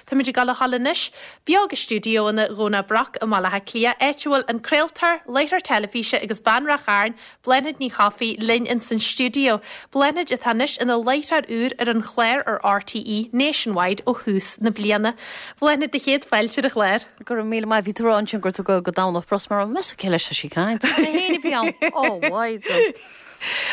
Táimid ag dul a ghabháil anois beo go stiúideoanna Dhomhnach Broc i mBaile Átha Cliath, áit a bhfuil an craoltóir, láithreoir teilifíse agus bean Ráth Chairn, Bláthnaid Ní Chofaigh, linn ins an stiúideo. Bláthnaid atá anois ina láithreoir úr ar an chlár ar RTÉ Nationwide ó thús na bliana. Bláthnaid, do chéad fáilte ar an chlár. Go raibh míle maith. Bhí tú ag rá ansin go raibh tú ag dul go Domhnach Broc mar meas tú cé leis tá sí ag caint? Mé féin a bhí ann. Ó, mhaighdean.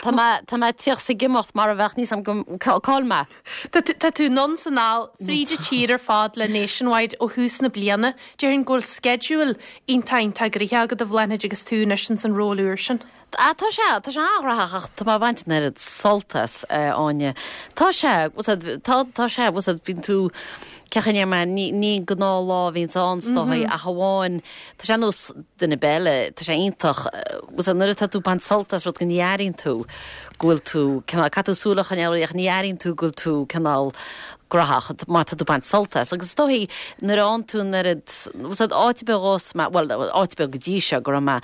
Tá mé, tá mé ag tíocht 's ag imeacht mar a bheadh níos am go, cá bhfuil mé? Tá tú, tá tú anonn 's anall fríd an tír ar fad le Nationwide ó thús na bliana. Déarfainn go bhfuil sceideal iontach iontach gnoitheach agat a Bhláthnaid agus tú anois ins an ról úr sin. Ah, tá sé, tá sé an-ghnóthach ach tá mé ag baint an oiread sult as, a Áine. Tá sé, bhfuil 's a'd, tá, tá sé, bhfuil 's a'd, bíonn tú, cén chaoi a ndéarfaidh mé, ní, ní gnáthlá a bhíonns ann is dóigh ach amháin, tá sé ar nós duine ar bith eile, tá sé iontach, bhfuil 's a'd, nuair atá tú ag baint sult as rud go ní airíonn tú go bhfuil tú, cineál, caithfidh tú súil a choinneáil ach ní airíonn tú go bhfuil tú cineál, gnóthach mar tá tú ag baint sult as. Agus is dóichí nuair a fhaigheann tú an oiread, bhfuil 's a'd, áit ar bith a ghabhas mé, bhuel, áit ar bith go dtí seo go raibh mé,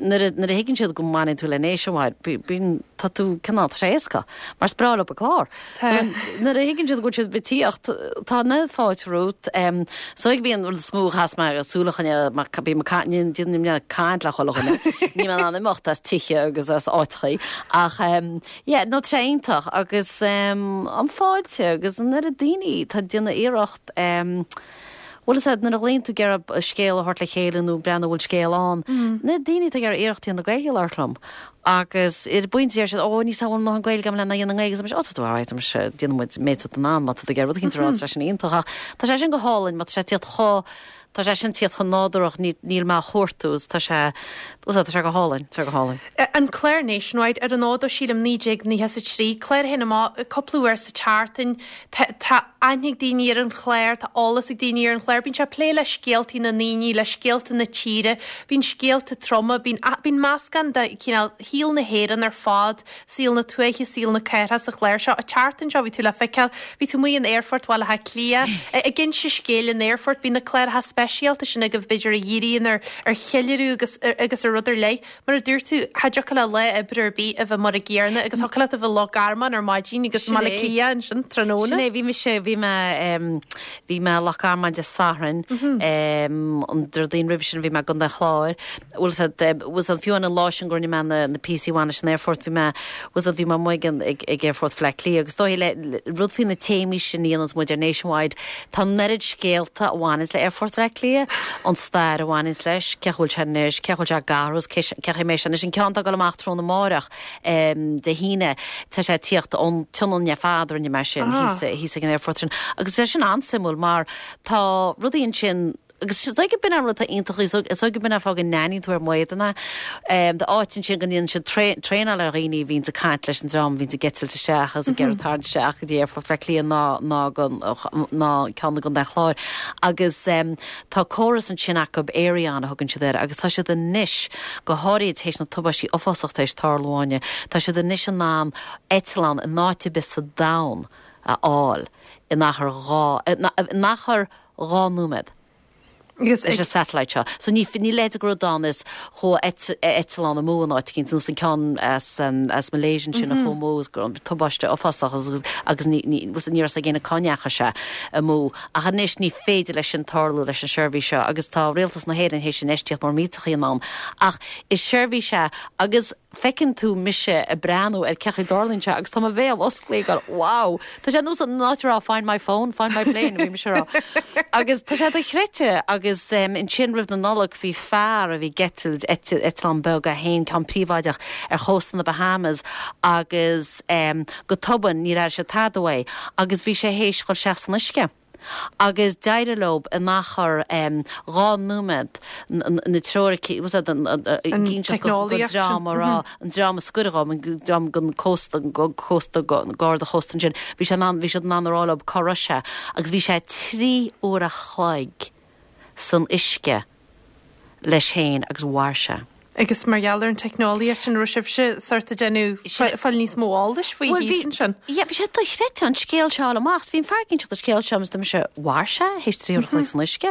nuair a, nuair a thuigeann siad go mbaineann tú le Nationwide, bíonn, tá tú cineál, tá sé éasca, mar is breá leo an clár. So nuair a thuigeann siad go bhfuil siad ag tíocht, tá an oiread fáilte romhat. So ag bíonn rud is mó a chaitheas mé súil a choinneáil, mar bím ag caint, ní, ní, ní, caint le chuile dhuine, níl mé in ann imeacht as tithe agus as áiteachaí ach, Yeah, no tá sé iontach agus an fáilte agus an oiread daoine atá ag déanamh iarracht bhfuil fhios a'd nuair a ghlaonn tú ag iarraidh scéal a thabhairt le chéile nó breathnú bhfuil scéal ann, na daoine atá ag iarraidh iarracht a dhéanamh Gaeilge a labhairt liom agus ar an bpointe deir siad ó níl 's a'm an bhfuil a ndóthain Gaeilge agam lena dhéanamh i nGaeilge agus ó tá tú alright mise déanfaidh muid méid atá in ann má tá tú ag iarraidh rud éicint a rá tá sé sin iontach ach tá sé sin go hálainn má tá sé ag tíocht chomh Tá sé sin tíocht chomh nádúrach, níl mé á chuartú is tá sé, tá sé go hálainn, tá sé go hálainn. An clár Nationwide, ar an fhód ó sílim 1993, clár a théann amach cúpla uair sa tseachtain, tá aithne ag daoine ar an chlár, tá eolas ag daoine ar an chlár, bíonn sé ag plé le scéaltaí na ndaoine, le scéalta na tíre, bíonn scéalta troma, bíonn, bíonn meascán de chineál shaol na hÉireann ar fad saol na tuaithe, saol na cathrach sa chlár seo. An tseachtain seo bhí tú le feiceáil, bhí tú amuigh in Aerfort Bhaile Átha Cliath, ag inse scéil in aerfort, bíonn na cláracha speisialta sin agaibh b'fhéidir a dhíríonn ar ar cheiliúradh agus agus ar rud ar leith. Mar a dúirt tú, cha dtiocfadh le lá oibre ar bith a bheith mar an gcéanna agus thiocfadh leat a bheith i Loch Garman ar maidin agus i mBaile Átha Cliath ansin tráthnóna. Sin é, bhí mise, bhí mé, bhí mé i Loch Garman Dé Sathairn, an Déardaoin roimhe sin bhí mé i gContae an Chláir. Bhfuil 's a'd, bhfuil 's a'd, fiú an lá sin go rinne mé na, na píosaí a bhain leis an aerfort, bhí mé, bhfuil 's a'd, bhí mé amuigh ag an, ag, ag aerfort Bhaile Átha Cliath agus is dóigh le, rud faoi na téamaí sin a dhéananns muid ar Nationwide, tá an oiread scéalta a bhaineanns le aerfort Bhaile Átha Cliath, an stair a bhaineanns leis, cén chaoi a bhfuil sé anois, cén chaoi a bhfuil sé ag athrú, cé, cén chaoi a mbeidh sé anois, an ceann atá ag dul amach tráthnóna amáireach, Dé hAoine, tá sé ag tíocht ón tSionainn ar fad a rinne mé sin, thíos, thíos ag an aerfort sin agus tá sé sin an-suimiúil mar tá rudaí ansin, Agus is dóigh gurb in an rud atá iontach, is dóigh gurb in an fáth go n-aithníonn tú ar m'éadan é. Tá áit ansin go ndéanann siad traenáil ar dhaoine a bhíonns ag caint leis an dream a bhíonns ag eitilt isteach agus ag iarraidh tarraingt isteach go dtí Aerfort Bhaile Átha Cliath ná ná ná ceann i gContae an Chláir. Agus tá córas ansin acu, Aireon a thugann siad air, agus tá siad anois, go háirithe tar éis na tubaistí uafásach tar éis tarlú Áine, tá siad anois in ann eitleán in áit ar bith sa domhan a fháil in achar 2, in achar 2 nóiméad leis an satellite seo. So ní ní leithéid de rud ann is chuaigh eitleán amú in áit eicínt, nós an ceann as as Malaysia ansin a chuaigh amú is go raibh tubaiste uafásach agus ní ní ní raibh fhios ag éinne cá ndeachaigh sé amú. Ach anois ní féidir leis sin tarlú leis an seirbhís seo agus tá Rialtas na hÉireann théis infheistíocht mór millteach a dhéanamh ann. Ach is seirbhís é agus feiceann tú mise ag breathnú ar cén chaoi a dtarlaíonn sé agus tá mo bhéal osclaithe ag goil wow! Tá sé nós an áit a rá find my phone, find my plane a bhí mise a rá. Agus tá sé dochreidte agus ansin roimh na Nollag bhí fear a bhí ag eitilt eitleán beag é féin, ceann príobháideach ar chósta na Bahamas agus go tobann níor airigh siad tada uaidh agus bhí sé théis dhul isteach san uisce. Agus d'éirigh leo in achar 2 nóiméad na treoiricí, was that an dream a rá, an dream a scoireadh dhom, an dream den cósta, cósta, garda chósta ansin, bhí sé in ann, bhí siad in ann a rá leo cá raibh sé agus bhí sé 3 uair a chloig san uisce. leis féin agus mhair sé. Agus mar gheall ar an teicneolaíocht sin, raibh sibhse sort ag déanamh fáil níos mó eolais faoi thíos ansin? Yeah, bhí sé dochreidte an scéal seo a fháil amach. Bhí an fear ag inseacht an scéal seo agus dúirt mise, mhair sé théis 3 uair a chloig san uisce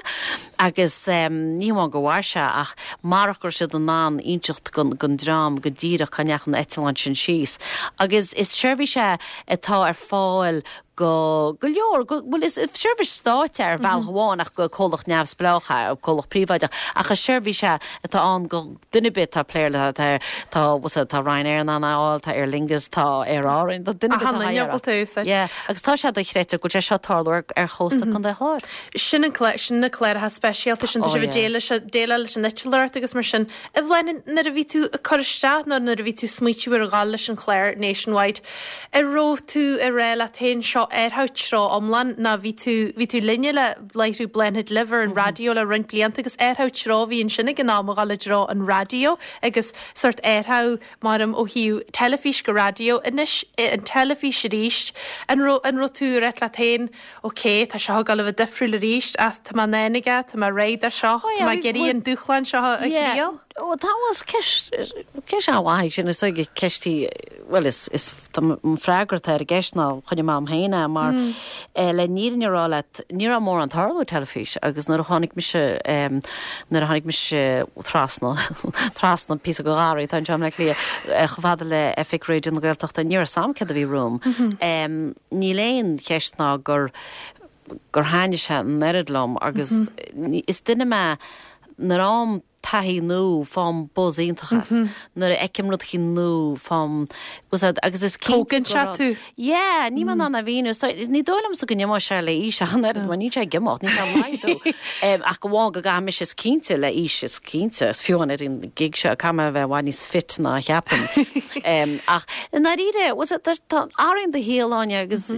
agus ní hamháin gur mhair sé ach marach go raibh siad in ann inseacht don dream go díreach cá ndeachaigh an eitleán sin síos. Agus is seirbhís é atá ar fáil. go go leor, go, bhuel is seirbhís stáit é ar bhealach amháin ach go comhlacht neamhspleách é, comhlacht príobháideach, ach is seirbhís é atá ann go duine ar bith atá ag plé le, tá, tá, bhfuil tá Ryanair in ann é a fháil, tá Aer Lingus, tá Aer Árann, tá duine ar bith atá Achan duine ábalta a úsáid. Yeah, agus tá sé dochreidte go bhfuil sé seo ag tarlú ar, ar chósta Contae an Chláir. Sin an clár, sin na cláracha speisialta sin, tá Oh sibh ag yeah. déileáil leis an eitleoireacht agus mar sin. A Bhláthnaid, nuair a bhí tú ag cur isteach nó nuair a bhí tú ag smaoitiú ar dhul leis an chlár Nationwide, an raibh tú ag rá leat féin seo athrú treo iomlán nó bhí tú, bhí tú linne le láithriú Bláthnaid Libh ar an raidió le roinnt blianta agus athrú treo a bhí ansin ag an am a dhul i dtreo an raidió agus sórt athrú maram ó thaobh teilifís go raidió. Anois an teilifís arís, an raibh, an raibh tú ag rá leat féin, Ok, tá seo ag dul a bheith difriúil arís ach tá mé in ann aige, tá mé réidh do seo, tá mé ag iarraidh an dúshlán seo a thriail. Ó tá, bhuel is ceist, ceist an-mhaith í sin, is dóigh ceist í, bhuel is, is, tá an freagra atá ar an gceist ná choinnigh mé orm féin é mar le an fhírinne a rá leat, ní raibh mórán tarlú ar teilifís agus nuair a tháinig mise, nuair a tháinig mise trasna, trasna píosa de gharraí atá anseo i mBleá Cliath, chomh fada le oifig Raidió na Gaeltachta, ní raibh a fhios a'm céard a bhí romham. Níl aon cheist ná gur gur thaitnigh sé an oiread liom agus is duine mé nuair a fhaighim taithí nua faighim buzz iontach as. Nuair a fheicim rud eicínt nua faighim buzz as agus is cinnte Tógann go sé raibh tú. Yeah, níl mé in ann a mhíniú. So, ní dóigh liomsa go n-imeoidh sé le aois ach an oiread mar níl sé ag imeacht, níl sé ag laghdú. Ach amháin go gcaithfidh mise is cinnte le aois is cinnte, is fiú amháin ar an gig seo caithfidh mé a bheith i bhfad níos fit ná a cheapaim. Ach i ndáiríre, bhuel, tá, tá, athraíonn do shaol, Áine, agus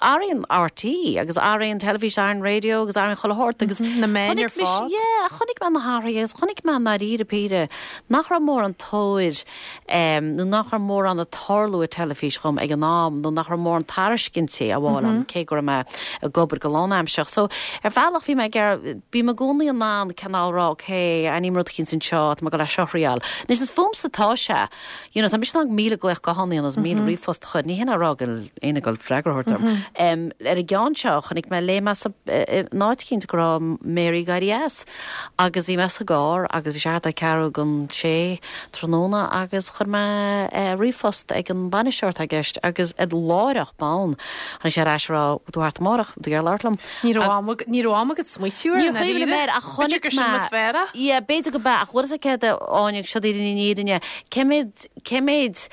athraíonn RTÉ agus athraíonn teilifís, athraíonn raidió agus athraíonn chuile shórt agus Na meáin ar chonaic mise, fad. yeah, chonaic mé na hathruithe agus chonaic mé i ndáiríre píre nach raibh mórán tóir nó nach raibh mórán ag tarlú i teilifís dhom ag an am nó nach raibh mórán tairiscintí á bhfáil agam cé go raibh mé ag obair go lánaimsearach. So, ar bhealach bhí mé ag iarraidh, bím i gcónaí in ann cineál rá ok, aithním rud eicínt anseo, tá mé ag dul é seo a thriail. Anois is fúmsa atá sé. You know, tá mise in ann 1,000 glaoch gutháin a dhéanamh agus 1,000 ríomhphost a chur, ní hin a rá go bhfuil éinne ag dul freagra a thabhairt orm. Ar an gceann seo, chonaic mé, léigh mé sa, in áit eicínt go raibh Mary ag éirí as agus bhí mé sa gcarr agus bhí sé thart ar ceathrú don sé tráthnóna agus chuir mé ríomhphost ag an bainisteoir atá i gceist agus ar láithreach bonn tháinig sé ar ais ag rá bhfuil tú thart amárach, bhfuil tú ag iarraidh labhairt liom? Ní raibh am ag, ní raibh am agat smaoitiú air Níor chuimhnigh mé air ach B'fhéidir chonaic gur sin mé, is fearr é. yeah, b'fhéidir go b'ea ach bhfuil fhios agat céard a Áine, seo daoibh an fhírinne, cé mhéad, cé mhéad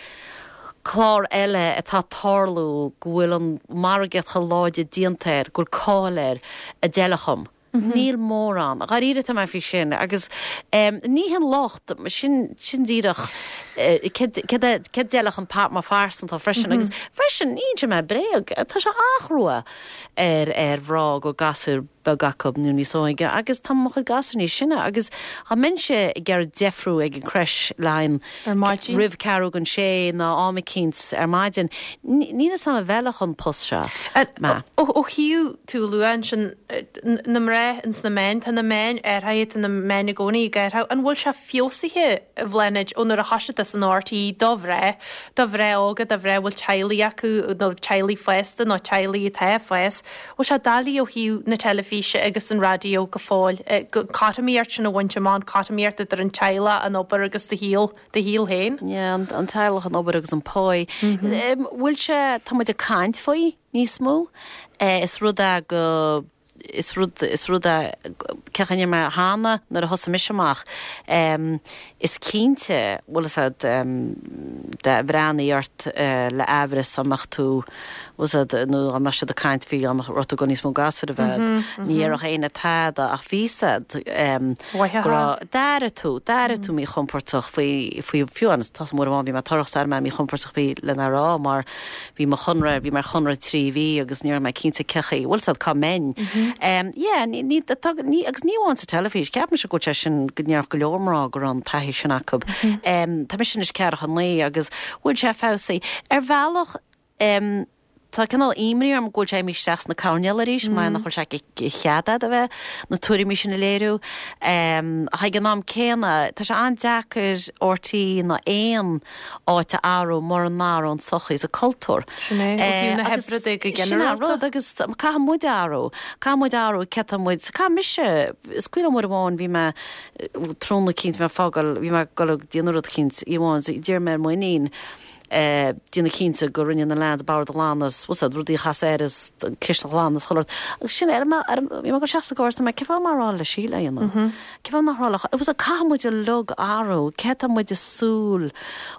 clár eile atá ag tarlú go bhfuil an margaíocht chomh láidir déanta air, go bhfuil cáil air, a d'fheilfeadh dhom? Níl mórán. Dháiríre tá mé faoi sin agus ní hin locht, sin, sin díreach céard, céard a, céard a d'fheilfeadh dhom mar phearsanta freisin agus freisin ní inseoidh mé bréag, tá sé an-chrua ar, ar mhná go bhfuil gasúr beag acu nó níos óige agus tá mo chuid gasúr níos sine agus dá mbeinnse ag iarraidh deifriú ag an creche le haghaidh Ar maidin. roimh ceathrú don sé nó am eicínt ar maidin, níl fhios a'm an bhfeilfeadh an post seo mé. Ó thaobh tú a lua ansin na mná ins na meáin, tá na meáin athraithe, tá na meáin i gcónaí ag athrú. An bhfuil sé feabhsaithe, a Bhláthnaid, ó nuair a thoisigh tú san RTÉ do mhná, do mhná óga, do mhná a bhfuil teaghlaigh acu nó teaghlaigh fásta nó teaghlaigh atá ag fás, bhfuil sé doiligh ó thaobh na teilifíse agus an raidió go fóill, cothromaíocht sin a bhaint amach, an cothromaíocht idir an teaghlach, an obair agus do shaol, do shaol féin? Yeah, an teaghlach, an obair agus an pá. Bhfuil sé, tá muid ag caint faoi níos mó. Is rud é go, is rud, is rud é, cén chaoi a ndeir mé cheana nuair a thosaigh mise amach, is cinnte, bhfuil fhios a'd, dá mbreathnaí ort le aimhreas dá mbeadh tú, bhfuil fhios a'd, nó dá mbeadh siad ag caint faoi dá mbeadh raibh tú ag dul níos mó gasúir a bheith a'd, ní dhéarfadh éinne tada ach bhí fhios a'd go raibh, d'airigh tú, d'airigh tú míchompordach faoi, faoi, fiú amháin, tá uair amháin bhí mé torrach 's d'airigh mé míchompordach faoi lena rá mar bhí mo chonradh, bhí mé ar chonradh 3 mhí agus ní raibh mé cinnte cén chaoi, bhfuil fhios a'd, cá mbeinn. Yeah, ní, ní, tá, ní, agus ní amháin sa teilifís, ceapaimse go bhfuil sé sin, go ndéarfadh go leor mná go raibh an taithí sin acu. Tá mise anois ceathracha 9 agus bhfuil sé feabhsaithe? Ar bhealach, tá cineál imní orm go bhfuil sé imithe isteach sna coirnéil arís, mar nach bhfuil sé de chead a'd a bheith na tuairimí sin a léiriú. Ach ag an am céanna, tá sé an-deacair RTÉ ná aon áit a athrú mura n-athraíonn an tsochaí is an cultúr. Sin é, ó thaobh na hoibre de go Sin é an ginearálta. rud agus caithfidh muid athrú. Caithfidh muid athrú cé tá muid, caithfidh mise, is cuimhin liom uair amháin bhí mé, tráthnóna eicínt, bhí mé ag fágáil, bhí mé ag dul ag déanamh rud eicínt, oíche amháin, d'iarr mé ar m'iníon. Déanamh cinnte go rinne na leaids bord a ghlanadh is, bhfuil 's a'd, rudaí a chasadh air is an chistin a ghlanadh is chuile rud. Agus sin, ar an, ar an, bhí mé ag dul isteach sa gcarr is dúirt mé, cén fáth nach rá le Síle é a dhéanamh? Cén fáth nach rá le, bhfuil 's a'd, caithfidh muid uilig athrú, cé tá muid ag súil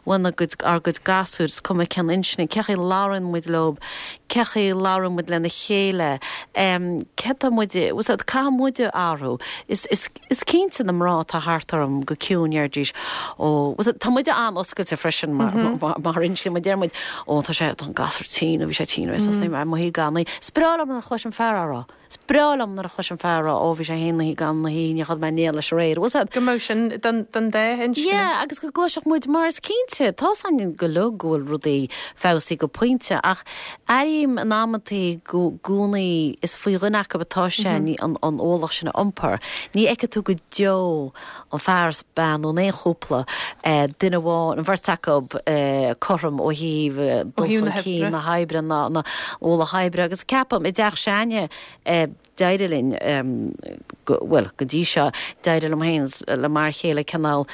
uainn gcuid, ár gcuid gasúir, is cuma cén inscne, cé chaoi a labhraíonn muid leob, cé chaoi a labhraíonn muid lena chéile, cé tá muid, bhfuil 's a'd, caithfidh muid athrú. Is, is. Is cinnte na mná atá thart orm go ciúin deiridís ó, bhfuil 's a'd, tá muide an-oscailte freisin mar mar inscne, mar deir muid ó tá sé, tá an gasúr tinn nó bhí sé tinn aréir is mé amuigh gan é. Is breá liom nuair a chloisim fear á rá. Is breá liom nuair a chloisim fear á rá ó bhí sé féin ina shuí gan ina shuí, níor chodlaigh mé in éad leis aréir, bhfuil 's a'd. Go mbeadh sin don don dá inscne. Yeah, agus go gcloisfeadh muid mar is cinnte, tá's againn go uilig go bhfuil rudaí feabhsaithe go pointe ach Airím in amantaí go gcónaí is faoi dhuine acu atá sé an ualach sin a iompar. Ní fheicfidh tú go deo an fear is bean nó in aon chúpla, duine amháin, an bheirt acu cothrom ó thaobh dul chun cinn na hoibre, na ualach oibre agus ceapaim i dteach s'againne, D'éirigh linn, bhuel, go dtí seo, d'éirigh liom féin le m'fhear chéile cineál,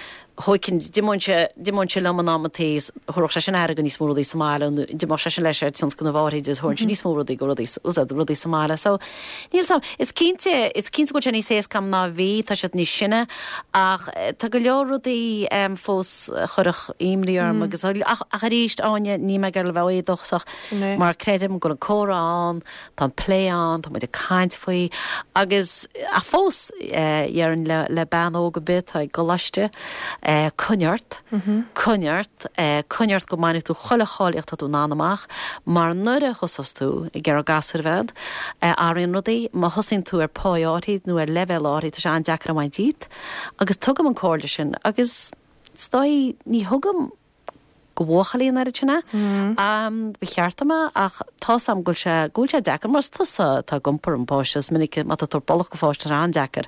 thóigfinn, d'imeoinnse, d'imeoinnse liom in amantaí, thabharfadh seisean aire go níos mó rudaí sa mbaile nó d'imeodh seisean leis ar tionscnamh áirid agus thabharfainnse níos mó rudaí go rudaí, úsáid rudaí sa mbaile. So, níl 'fhios a'm, is cinnte, is cinnte go bhfuil sé níos éasca a'm ná a bhí, tá siad níos sine ach tá go leor rudaí fós a chuirfeadh imní orm agus, ach, ach arís, Áine, níl mé ag iarraidh a bheith éadóchasach mar creidim go bhfuil an comhrá ann, Tá an plé ann, tá muid ag caint faoi agus, ach fós, déarfainn le, le bean óg ar bith atá i gcoláiste, coinnigh ort, coinnigh ort, coinnigh ort go mbainfidh tú chuile cháilíocht atá tú in ann amach mar nuair a thosós tú ag iarraidh gasúir a bheith a'd, athraíonn rudaí, má thosaíonn tú ar pá áirid nó ar leibhéal áirid, tá sé an-deacair a bhaint díot agus tugaim an comhairle sin agus is dóigh ní thugaim go bhuachaillí an oiread sin é. Ba cheart dom é ach tá's a'm go bhfuil sé, go bhfuil sé deacair mar is tusa atá ag iompar an pháiste, is minic má tá tú ag tabhairt brollach go pháiste tá sé an-deacair.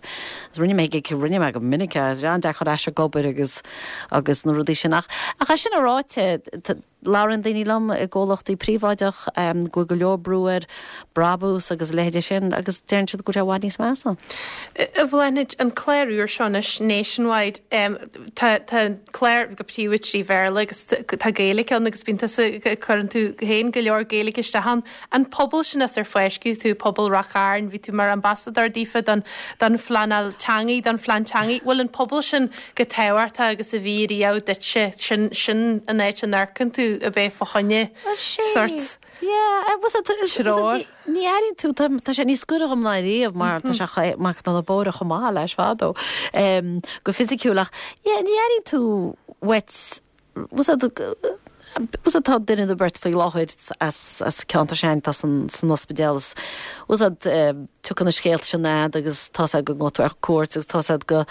Agus rinne mé, rinne mé go minic é, sé an-deacair ar ais ag obair agus, agus na rudaí sin ach, ach é sin a ráite, labhraíonn daoine liom i gcomhlachtaí príobháideach go bhfuil go leor brú ar brabús agus a leithéide sin agus deireann siad go bhfuil sé i bhfad níos measa. A Bhláthnaid, an clár úr seo anois, Nationwide, tá tá an clár go príomha trí Bhéarla agus tá Gaeilge ann agus bíonn tusa, cuireann tú féin go leor Gaeilge isteach ann. An pobal sin as ar fáisceadh tú, pobal Ráth Chairn, bhí tú mar ambasadóir daofa don don phleanáil teangaidh, don phlean teangaidh. Bhfuil an pobal sin chomh tábhachtach agus a bhí riamh duitse? Sin sin an áit a n-amharcann tú a bheith fá choinne sórt. Yeah, bhfuil 's a'd, Treoir. ní airíonn tú, tá tá sé níos gaire dhom ná riamh mar tá sé cha- mar tá na bóithre chomh maith leis fadó, em, go fisiciúil ach yeah, ní airíonn tú uait, bhfuil 's a'd, bhfuil 's a'd, tá duine nó beirt faoi láthair as as ceantar s'againn atá san san ospidéal is bhfuil 's a'd, em, tiocfaidh na scéalta sin a'd agus tá 's a'd go ngabhfaidh tú ar cuairt agus tá 's a'd go,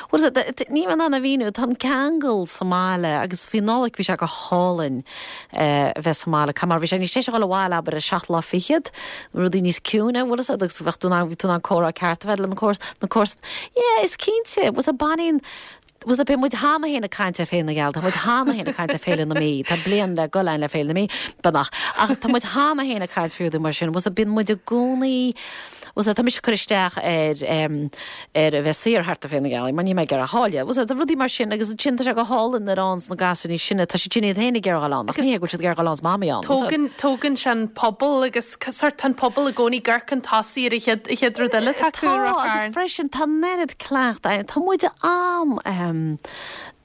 bhfuil 's a'd, níl mé in ann a mhíniú, tá an ceangal sa mbaile agus faoi Nollaig bhí sé go hálainn. a bheith sa mbaile. Mar bhí sé níos deise a dhul abhaile, abair, ar seacht lá fichead, rudaí níos ciúine, bhfuil 'fhios a'd, agus bheadh tú in ann, bhí tú in ann comhrá ceart a bheith le na comhars, na comharsan. Yeah, is cinnte, bhfuil 's a'd, baineann, bhfuil 's a'd, beidh muid cheana féin ag caint ar Féile na Gealaí, tá muid cheana féin ag caint ar Féile na Mí, tá bliain le dhul a'inn le Féile na Mí, beagnach, ach tá muid cheana féin ag caint faoi rudaí mar sin, bhfuil 's a'd, bíonn muid i gcónaí, Bhfuil 's a'd, tá mise ag cur isteach ar ar a bheith saor thart ar Féile na Gealaí mar níl mé ag iarraidh táille. Bhfuil 's a'd, rudaí mar sin agus ansin tá sé go hálainn nuair a fhaigheanns na gasúir níos sine, tá siad sin iad féin ag iarraidh dhul ann ach ní hé go bhfuil siad ag iarraidh dhul ann 's mamaí ann. Bhfuil 's a'd. Tógann, tógann sé an pobal agus sórt tá an pobal i gcónaí ag amharc chun tosaigh ar an chéad, an chéad rud eile atá acu Tá, agus freisin tá an oiread cleachtadh, tá muid an,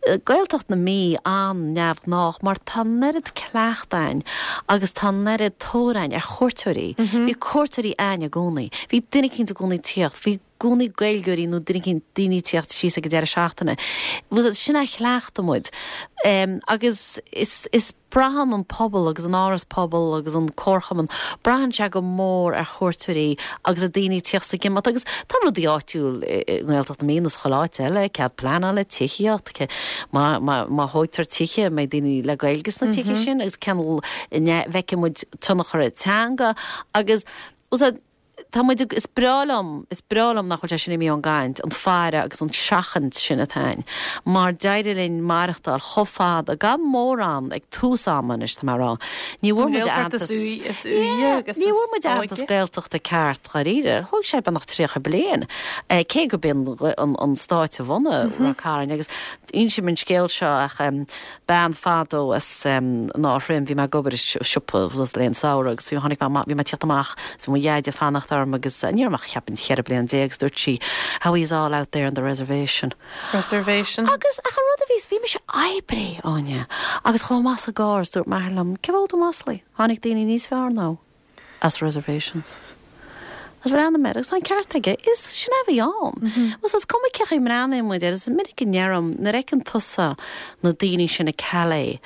Gaeltacht na Mí an-neamhghnách mar tá an oiread cleachtadh a'inn agus tá an oiread tóir a'inn ar chuairteoirí. Bhí cuairteoirí a'inn i gcónaí. Bhí duine eicínt i gcónaí ag tíocht. Bhí i gcónaí Gaeilgeoirí nó duine eicínt, daoine ag tíocht síos ag an deireadh seachtaine. Sin ar chleachtaigh muid. Agus is, is. Braitheann an pobal agus an áras pobail agus an comharchumann, braitheann sé go mór ar chuairteoirí agus ar daoine ag tíocht 's ag imeacht agus tá rudaí áitiúil i nGaeltacht na Mí nó sa chuile áit eile, cead pleanála, tithíocht, má, má, má thóigtear tithe, an mbeidh daoine le Gaeilge sna tithe sin agus cén bhfeicfidh muid tionchar ar teanga agus, bhfuil 's a'd. Tá muid ag, is breá liom, is breá liom nach bhfuil sé sin imithe ón gcaint, an faire agus an seachaint sin atá ann, mar d'éirigh linn maireachtáil chomh fada, gan mórán ag tús ama anois, tá mé a rá. Ní bhfuair muid aitheantas, yeah, ní bhfuair muid aitheantas Gaeltachta ceart dháiríre. Thóg sé beagnach 30 bliain, cé go b'in an stát a bhunaigh Ráth Cairn agus insím an scéal seo ach bean fadó as an Áth Throim, bhí mé ag obair i siopa le linn samhradh agus bhí, tháinig mé, bhí mé ag tíocht amach agus bhí mo dheaide ag fanacht orm agus ní raibh mé ach cheapfainn 14 bliain agus dúirt sí, how is all out there in the reservation? Reservation. Agus ach an rud a bhí, bhí mise oibrithe, Áine, agus chuaigh mé amach sa gcarr is dúirt m'athair liom, cén fáth a bhfuil tú maslaithe? Tháinig daoine níos fearr ná. as reservations. Agus bhreathnaigh mé air agus tá an ceart aige, is sin é a bhí ann. Bhuel is cuma cé chaoi a mbreathnaíonn muid air, is minic a ndeirim, nuair a fheiceann tusa na daoine sin i Calais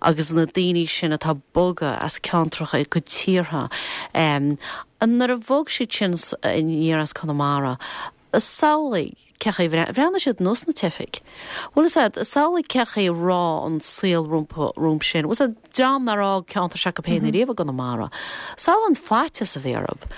agus na daoine sin atá bogtha as ceantracha go tíortha, nuair a bhog siad sin aniar as Conamara, Samhlaigh cé chaoi a bhreathnaigh siad ar nós na teifigh. Bhfuil fhios a'd, samhlaigh cé chaoi a raibh an saol rompu, rompu sin. Bhfuil fhios a'd, dream nár fhág ceantar s'acu féin ariamh i gConamara. Samhlaigh an faitíos a bhí orthu.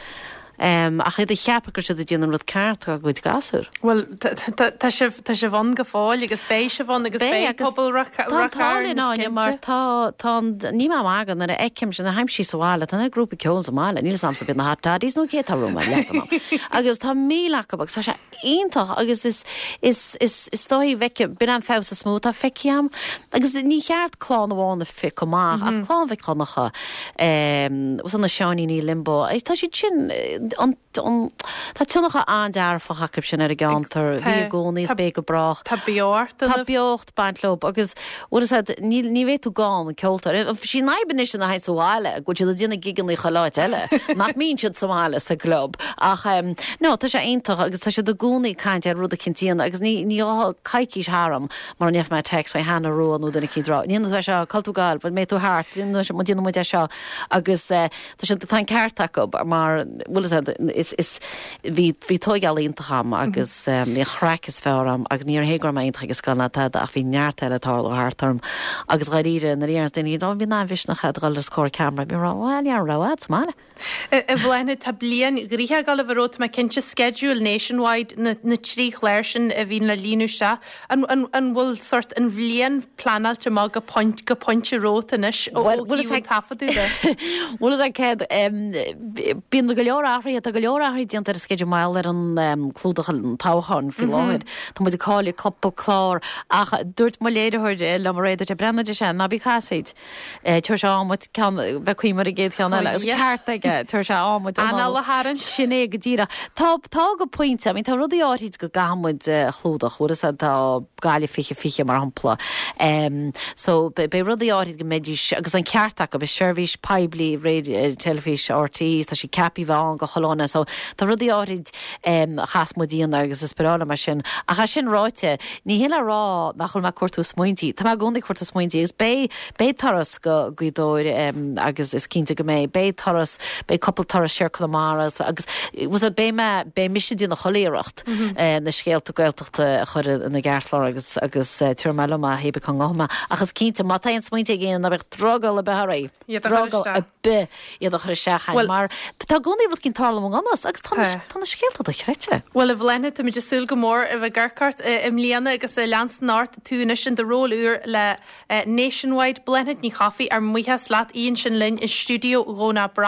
Ach iad ag ceapadh go raibh siad ag déanamh an rud ceart dá gcuid gasúr. Bhuel, tá sibh, tá sibh ann go fóill agus beidh sibh ann agus beidh pobal Ráth Tá an t-ádh linn, Áine, mar tá, tá an, níl mé ag magadh, nuair a fheicim, nuair a théim síos sa bhaile, tá na grúpaí ceoil sa mbaile, níl 'fhios a'msa ab iad na Hot Toddies nó cé atá romham ar leagan am. Agus tá 1,000 acu agus tá sé iontach agus is, is, is, is dóigh bhfeicim, b'in an feabhas is mó atá feicthe a'm. Agus ní cheart clann amháin a phiocadh amach ach Clann Mhic Dhonncha, eh, na Seáiníní Limbo, tá siad sin, an, an, tá tionchar an-dearfach acu sin ar an gceantar, bhí i gcónaí is beidh go brách. Tá beocht Tá beocht ag baint leo agus bhfuil fhios a'd, ní, ní bheidh tú gan an ceoltóir. Sí an fhadhb anois ina théann sa bhaile, go bhfuil siad ag déanamh gigeanna chuile áit eile, nach mbíonn siad sa mbaile sa gclub. Ach em, no, tá sé iontach agus tá siad i gcónaí ag caint ar rud eicínt a dhéanamh agus ní, ní ghabhfá coicís tharam mura ndéanfaidh mé text faoi Hannah Rua nó duine eicínt ag rá, an ndéanfaidh tú é seo, cá bhfuil tú ag gabháil, an mbeidh tú thart, déanfaidh muid é seo agus eh, Tá siad, tá an ceart acu mar, bhfuil fhios a'd, is, is, bhí, bhí tóigeáil iontach a'm agus bhí an chraic is fearr a'm agus ní hé go raibh mé iontach ag an scoil ná tada ach bhí neart eile ag tarlú thart orm agus dháiríre nuair a deireanns daoine, ó bhí an-mhisneach a'd a dhul os comhair ceamara, bhí mé ag rá, bhuel ní raibh rogha a'd sa mbaile. A Bhláthnaid, tá bliain ghnoitheach ag dul a bheith romhat, tá mé cinnte, sceideal Nationwide, na, na trí chlár sin a bhíonn le líonadh isteach. An, an, an bhfuil sórt an bhliain pleanáilte amach go point, go pointe romhat anois ó Bhuel, bhfuil thaobh an taifeadadh de? Bhfuil fhios a'd céard, bíonn go leor athruithe, tá go leor athruithe déanta ar an sceideal mar gheall ar an clúdach an toghcháin faoi láthair. Tá muid ag cailleadh cúpla clár ach dúirt mo léiritheoir liom aréir, dúirt sé, Breathnaigh ar sé, ná bí casaoid. Tabharfaidh sé am duit ceann, bheith cuimhneamh ar an gcéad cheann eile. Agus ceart aige, tabharfaidh sé am duit. Anáil a tharraingt. Sin é go díreach. Tá, tá go pointe, I mean tá rudaí áirid go gcaithfidh muid a chlúdach, bhfuil fhios a'd, tá Gaillimh 2020 mar shampla. So beidh rudaí áirid go mbeidís, agus an ceart acu, is seirbhís poiblí teilifís RTÉ, tá sí ceaptha a bheith ann do chuile dhuine, so tá rudaí áirid a chaithfeas muid a dhéanamh agus is breá liom é sin. Ach é sin ráite, Ní hin le rá nach bhfuil mé ag cuartú smaointí. Tá mé i gcónaí ag cuartú smaointí agus beidh, beidh turas go Gaoth Dobhair agus is cinnte go mbeidh, beidh turas, beidh cúpla turas siar Conamara agus bhfuil beidh mé, beidh mise ag déanamh chuile iarracht na scéalta Gaeltachta a chur ina gceartlár agus, agus tabharfaidh mé liom é hé bith cá ngabhfaidh mé. Ach is cinnte, má tá aon smaointe ag éinne ná beadh drogall ar bith oraibh. Iad a chur Drogall isteach. ar bith iad a chur isteach chugainn Bhuel, mar tá i gcónaí rud eicínt ag tarlú i ngan fhios agus tá na, Tá. tá na scéalta dochreidte. Bhuel, a Bhláthnaid, táimid ag súil go mór a bheith ag amharc ort i mbliana agus ag leanstan ort, tú anois in do ról úr le Nationwide. Bláthnaid Ní Chofaigh, ár mbuíochas leat, í ansin linn i stiúideo Dhomhnach Breac.